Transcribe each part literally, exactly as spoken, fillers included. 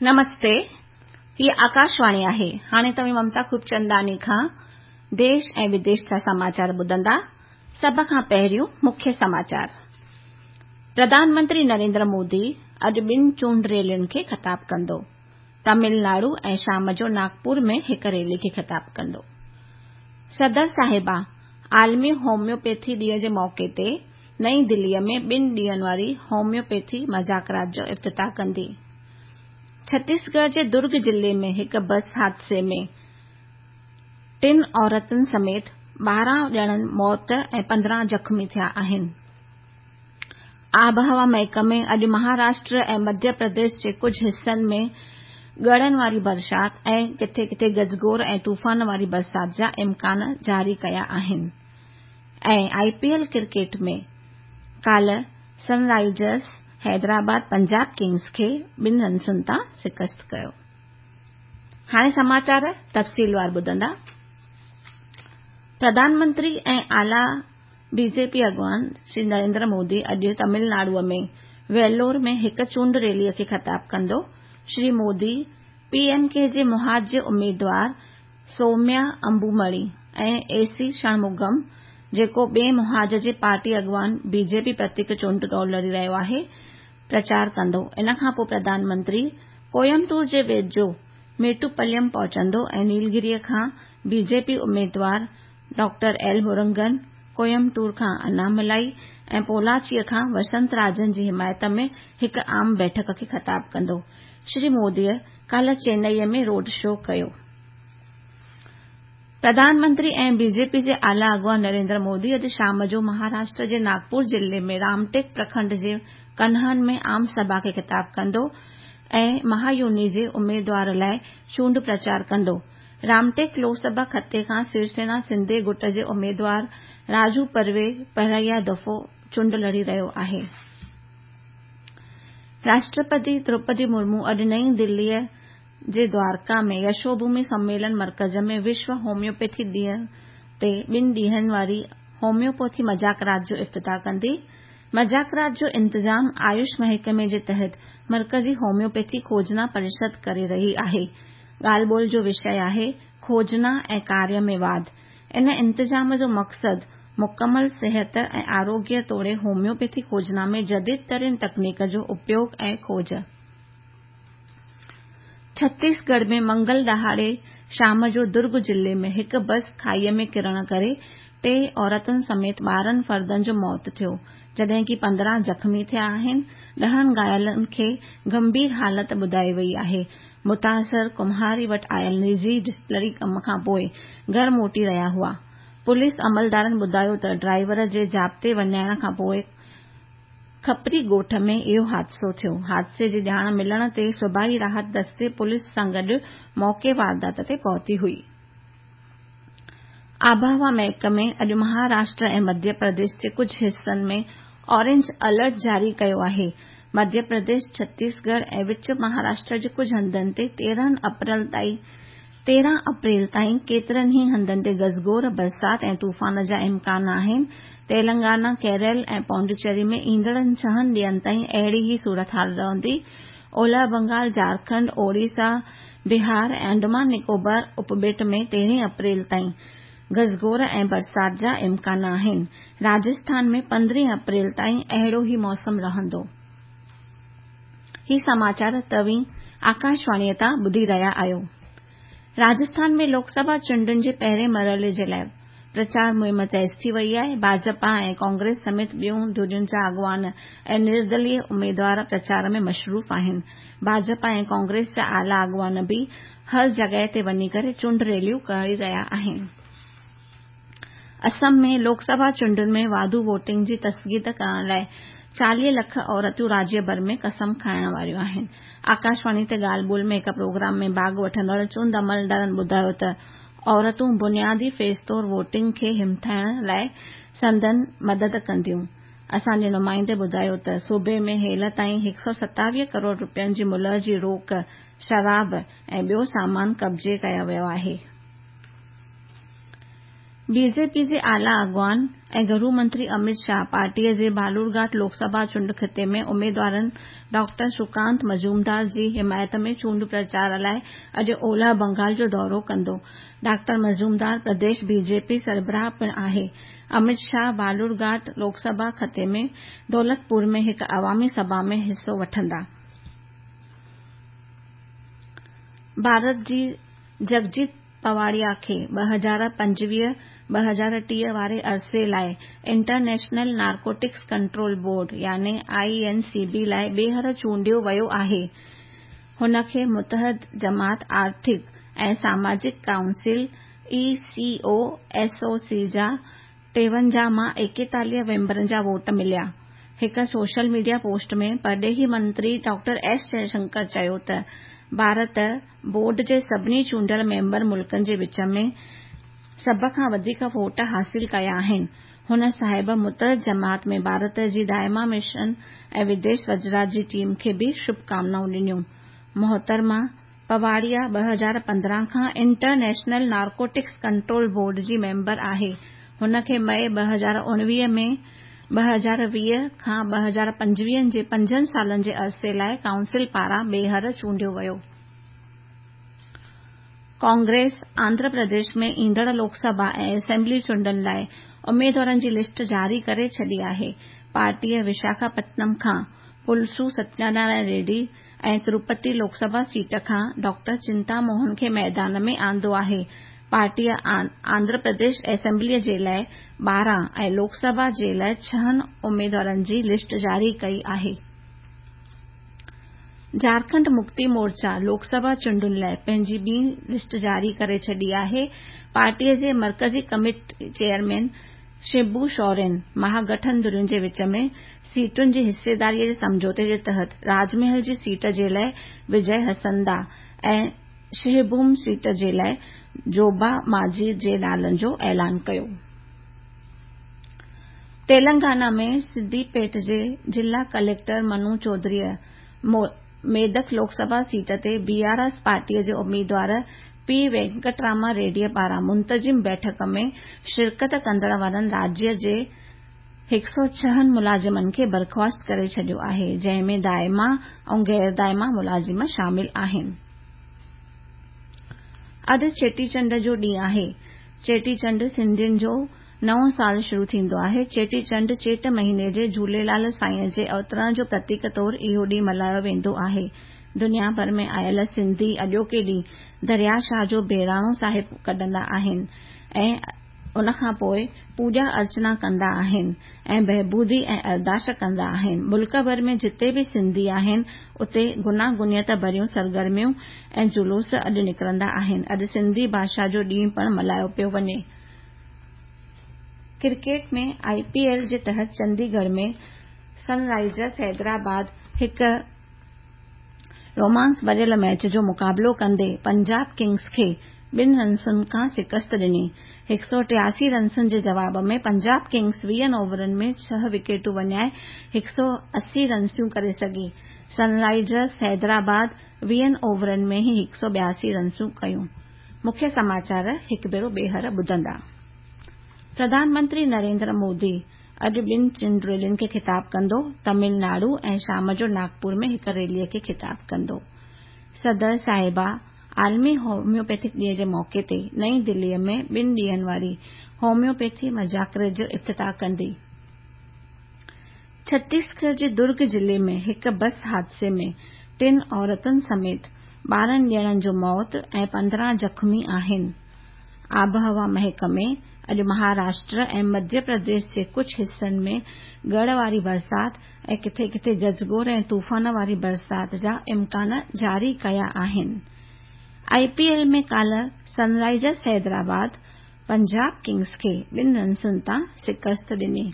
نمستي، هيء آڪاشواڻي آهي. هاڻي توهين ممتا خوبچنداڻي کان ديش ۽ وديش جا سماچار ٻڌندا. سڀ کان پهريون مکيه سماچار. پرڌان منتري نريندر مودي اڄ ٻن چونڊ ريلين کي خطاب ڪندو. تامل ناڊو ۽ شام جو ناگپور ۾ هڪ ريلي کي خطاب ڪندو. صدر صاحبه عالمي هوميوپيٿي ڏينهن جي موقعي تي نئين دليء ۾ ٻن ڏينهن واري هوميوپيٿي مذاڪرات جو افتتاح ڪندي. ڇتيسڳڙهه جي درگ ضلعي ۾ هڪ بس حادثي ۾ ٽن عورتن سميت ٻارهن ڄڻن موت ۽ پندرهن زخمي ٿيا آهن. آبهوا محڪمي اڄ مهاراشٽر ۽ مڌيه پرديش جي ڪجهه حصن ۾ ڳڙن واري برسات ۽ ڪٿي ڪٿي گجگوڙ ۽ طوفان واري برسات جا امڪان جاري ڪيا آهن. ۽ I P L cricket ۾ ڪالهه سن رائيزرس حيدرآباد پنجاب ڪنگز کي ٻن رنسن تان شڪست ڪيو. هاڻي سماچار تفصيلوار ٻڌندا. پرڌان منتري ۽ اعليٰ بي جي پي اڳواڻ شري نريندر مودي اڄ تامل ناڊوء ۾ ويلور ۾ هڪ چونڊ ريليء کي خطاب ڪندو. Shri Modi P M K جي محاذ جي اميدوار سوميا امبومڻي ۽ اي سي شڻمگم، جيڪو ٻئي محاذ جي پارٽي اڳواڻ بي جي پي پرتيڪ چونڊ دوڙ لڙي رهيو آهي، پرچار ڪندو. ان کان پوءِ پرڌان منتري ڪوئمبٽور جي ويجهو ميٽوپليم پهچندو ۽ نيلگريء کان بي جي پي اميدوار ڊاڪٽر ايل مرگن، ڪوئمبٽور کان اناملائي ۽ پولاچيء کان وسنت راجن جي حمايت ۾ هڪ عام بيٺڪ کي خطاب ڪندو. شري موديء ڪالهه چنائيء ۾ روڊ شو ڪيو. پرڌان منتري ۽ بي جي پي جي اعليٰ اڳواڻ نريندر مودي اڄ شام جو مهاراشٽر جي ناگپور ضلعي ۾ رامٽيڪ پرکنڊ جي ڪنهن ۾ عام سڀا کي خطاب ڪندو ۽ مهايوني جي اميدوار لاءِ چونڊ پرچار ڪندو. رامٽيڪ لوڪ سڀا خطي کان شوسينا سنڌي گٽ جي اميدوار راجو پروي پهريان دفعو چونڊ لڙي رهيو آهي. راشٽرپتي دروپدي مرمو اڄ نئين دليء جي دوارڪا ۾ يشوڀومي سميلن مرڪز ۾ وشو هوميوپيٿي ڏينهن تي ٻن ڏينهن واري هوميوپيٿي مذاڪرات جو افتتاح ڪندي. مذاڪرات جو انتظام آيوش محڪمي جي تحت مرڪزي هوميوپيٿي کوجنا پريشد ڪري رهي آهي. ڳالهه ٻولهه جو وشي آهي کوجنا ۽ ڪاريه ۾ واڌ. ان انتظام جو مقصد مڪمل صحت ۽ آروگيه توڙي هوميوپيٿي کوجنا ۾ جديد ترين تڪنيڪ جو اپيوگ ۽ کوج. ڇتيسڳڙهه ۾ منگل ڏهاڙي شام جو درگ ضلعي ۾ هڪ بس کائيء ۾ ڪرڻ ڪري ٽي عورتن سميت ٻارهن فردن جو موت ٿيو، جڏهن ڪه پندرهن زخمي ٿيا آهن. ڏهن گهايلن کي گنڀير حالت ٻڌائي وئي آهي. متاثر ڪمهاري وٽ آيل نجي ڊسٽلري ڪم کان پوءِ گهر موٽي رهيا هئا. پوليس عملدارن ٻڌايو ته ڊرائيور جي ضابطي وڃائڻ کان پوءِ کپري ڳوٺ ۾ اهو حادثو ٿيو. حادثي جي ڄاڻ ملڻ تي صوبائي راحت دستي پوليس سان گڏ موقعي واردات تي پهتي هئي. آبهوا محڪمي اڄ مهاراشٽر ۽ مڌيه پرديش جي ڪجهه حصن ۾ اورينج الرٽ جاري ڪيو آهي. مڌيه پرديش، ڇتيسڳڙهه ۽ وچ مهاراشٽر جي ڪجهه هنڌن تي تيرهن اپريل تائين تيرهن اپريل تائين ڪيترن ئي هنڌن تي گجگوڙ، برسات ۽ طوفان جا امڪان آهن. تيلنگانا، ڪيرل ۽ پانڊيچيري ۾ ايندڙ ڇهن ڏينهن تائين اهڙي ئي صورتحال رهندي. اولهه بنگال، جهارکنڊ، اوڙيسا، بهار ۽ انڊمان نڪوبار اپٻيٽ ۾ تيرهن اپريل تائين گجگوڙ ۽ برسات جا امڪان آهن. راجسٿان ۾ پندرهن اپريل تائين اهڙو ئي موسم رهندو. هي سماچار توهين آڪاشواڻيء تان ٻڌي رهيا آهيو. راجسٿان ۾ لوڪ سڀا چونڊن جي پهرين مرحلي جي لاءِ پرچار مهم تيز ٿي وئي آهي. ڀاجپا ۽ ڪانگريس سميت ٻين ڌرين جا اڳواڻ ۽ نردليه اميدوار پرچار ۾ مصروف آهن. ڀاجپا ۽ ڪانگريس جا اعليٰ اڳواڻ به هر جڳهه تي وڃي ڪري چونڊ ريليون ڪري رهيا آهن. اسم ۾ لوڪ سڀا چونڊن ۾ واڌو ووٽنگ جي تصديق ڪرڻ لاءِ چاليهه لک عورتون راجيه ڀر ۾ قسم کائڻ واريون آهن. آڪاشواڻي تي ڳالهه ٻولهه ۾ هڪ پروگرام ۾ ڀاڳ وٺندڙ چونڊ عملدارن ٻڌايو ته عورتون بنيادي فيز طور ووٽنگ کي همٿائڻ لاءِ سندن مدد ڪنديون. اسان جي نمائندي ٻڌايو ته صوبي ۾ هيل تائين هڪ سؤ ستاويهه ڪروڙ رپين جي ملهه جي روڪ، شراب ۽ ٻيو سامان قبضي ڪيو ويو آهي. बीजेपी जे आला अॻवान ऐं गृह मंत्री अमित शाह पार्टीअ जे बालूरघाट लोकसभा चूंड ख़िते में उमेदवारनि डॉक्टर सुकांत मजूमदार जी हिमायत में चूंड प्रचार लाइ अॼु ओलह बंगाल जो दौरो कंदो। डॉक्टर मजूमदार प्रदेश बीजेपी सरबराह पिणु आहे। अमित शाह बालूरघाट लोकसभा ख़िते में दौलतपुर में हिकु अवामी सभा में हिसो वठंदा। भारत जी जगजीत पवाड़िया खे ٻه هزار پنجويهه ٻه هزار ٽيهه واري عرصي لاءِ انٽرنيشنل نارڪوٽڪس ڪنٽرول بورڊ يعني I N C B لاءِ ٻيهر چونڊيو ويو آهي. هن کي متحده جماعت آرٿڪ ۽ ساماجڪ council E C O S O C جا ٽيونجاهه مان ايڪيتاليهه ميمبرن جا ووٽ مليا. هڪ سوشل ميڊيا پوسٽ ۾ پرڏيهي منتري ڊاڪٽر ايس جئشنڪر چيو ته ڀارت بورڊ جي سڀني چونڊيل ميمبر ملڪن جي وچ ۾ سڀ کان وڌيڪ ووٽ حاصل ڪيا آهن. هن صاحب متحده جماعت ۾ ڀارت جي دائما مشن ۽ وديش وزارت جي ٽيم کي به شڀڪامنائون ڏنيون. محترمه پواڙيا ٻه هزار پندرهن کان انٽرنيشنل نارڪوٽڪس ڪنٽرول بورڊ جي ميمبر آهي. هن کي مئي ٻه هزار اڻويهه ۾ ٻه هزار ويهه کان ٻه هزار پنجويهه جي پنجن سالن جي عرصي لاءِ ڪائونسل پاران ٻيهر چونڊيو ويو. ڪانگريس آنڌرا پرديش ۾ ايندڙ لوڪسڀا ۽ اسيمبلي چونڊن لاءِ اميدوارن جي لسٽ جاري ڪري ڇڏي آهي. پارٽيءَ وشاکاپتنم کان پلسو ستيانارائڻ ريڊي ۽ تروپتي لوڪسڀا سيٽ کان ڊاڪٽر چنتا موهن کي ميدان ۾ آندو آهي. پارٽيءَ آنڌرا پرديش اسيمبليءَ جي لاءِ ٻارهن ۽ لوڪسڀا جي لاءِ ڇهن اميدوارن جي لسٽ جاري ڪئي آهي. جهارکنڊ مڪتي مورچا لوڪسڀا چونڊن لاءِ پنهنجي ٻي لسٽ جاري ڪري ڇڏي آهي. پارٽيءَ جي مرڪزي ڪميٽي چيئرمين شبو سورين مهاگٺن ڌرين جي وچ ۾ سيٽن جي حصيداريءَ جي سمجهوتي جي تحت راجمحل جي سيٽ جي لاءِ وجي هسندا ۽ سنگهڀوم سيٽ جي لاءِ جوبا مانجهي جي نالن جو اعلان ڪيو. تيلنگانا ۾ سديپيٽ جي ضلع ڪليڪٽر منو چوڌريءَ ميدڪ لوڪسڀا سيٽ تي بي آر ايس پارٽيءَ جي اميدوار پي وينڪٽراما ريڊيءَ پاران منتظم بيٺڪ ۾ شرڪت ڪندڙ وارن راجيه جي هڪ سؤ ڇهن ملازمن کي برخاست ڪري ڇڏيو آهي، جنهن ۾ دائما ۽ غير دائما ملازم شامل آهن. اڄ چيٽي چنڊ جو ڏينهن آهي. چيٽي چنڊ سنڌين جو نئون سال شروع ٿيندو آهي. چيٽي چنڊ چيٽ مهيني جي جهوليلال سائينءَ جي اوترڻ جو پرتيڪ طور اهو ڏينهن ملهايو ويندو آهي. دنيا ڀر ۾ آيل سنڌي اڄوڪي ڏينهن دريا شاهه جو بهراڻو صاحب ڪڍندا آهن ۽ ان کان پوءِ پوڄا ارچنا ڪندا آهن ۽ بهبودي ۽ ارداس ڪندا آهن. ملڪ ڀر ۾ جتي به سنڌي آهن اتي گوناگونيت ڀريون سرگرميون ۽ جلوس اڄ نڪرندا آهن. اڄ سنڌي ڀاشا جو ڏينهن پڻ ملهايو پيو وڃي. ڪرڪيٽ ۾ I P L جي تحت چنديڳڙهه ۾ سن رائيزرس حيدرآباد هڪ رومانس ڀريل ميچ جو مقابلو ڪندي پنجاب ڪنگز کي ٻن رنسن کان شڪست ڏني. هڪ سؤ ٽياسي رنسن جي جواب ۾ پنجاب ڪنگز ويهن اوورن ۾ ڇهه وڪيٽون وڃائي هڪ سؤ اسي رنسون ڪري سگهي. سن رائيزرس حيدرآباد ويهن اوورن ۾ ئي هڪ سؤ ٻياسي رنسون ڪيون. مکيه سماچار هڪ ڀيرو ٻيهر ٻڌندا. پرڌان منتري نريندر مودي اڄ ٻن چونڊ ريلين کي خطاب ڪندو. تامل ناڊو ۽ شام جو ناگپور ۾ هڪ ريليءَ کي خطاب ڪندو. صدر صاحبه عالمي هوميوپيٿڪ ڏينهن جي موقعي تي نئين دليءَ ۾ ٻن ڏينهن واري هوميوپيٿي مذاڪري جو افتتاح ڪندي. ڇتيسڳڙهه جي درگ ضلعي ۾ هڪ بس حادثي ۾ ٽن عورتن سميت ٻارهن ڄڻن جو موت ۽ پندرهن زخمي آهن. آبهوا محڪمي اڄ مهاراشٽر ۽ مڌيه پرديش جي ڪجهه حصن ۾ ڳڙ واري برسات ۽ ڪٿي ڪٿي گجگوڙ ۽ طوفان واري برسات جا امڪان جاري ڪيا آهن. I P L ۾ ڪالهه سن رائيزرس حيدرآباد پنجاب ڪنگز کي ٻن رنسن تان شڪست ڏني.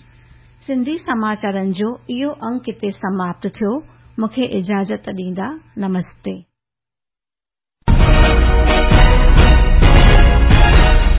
سنڌي سماچارن جو اهو انگ هتي سماپت ٿيو. مون کي اجازت ڏيندا. نمستي.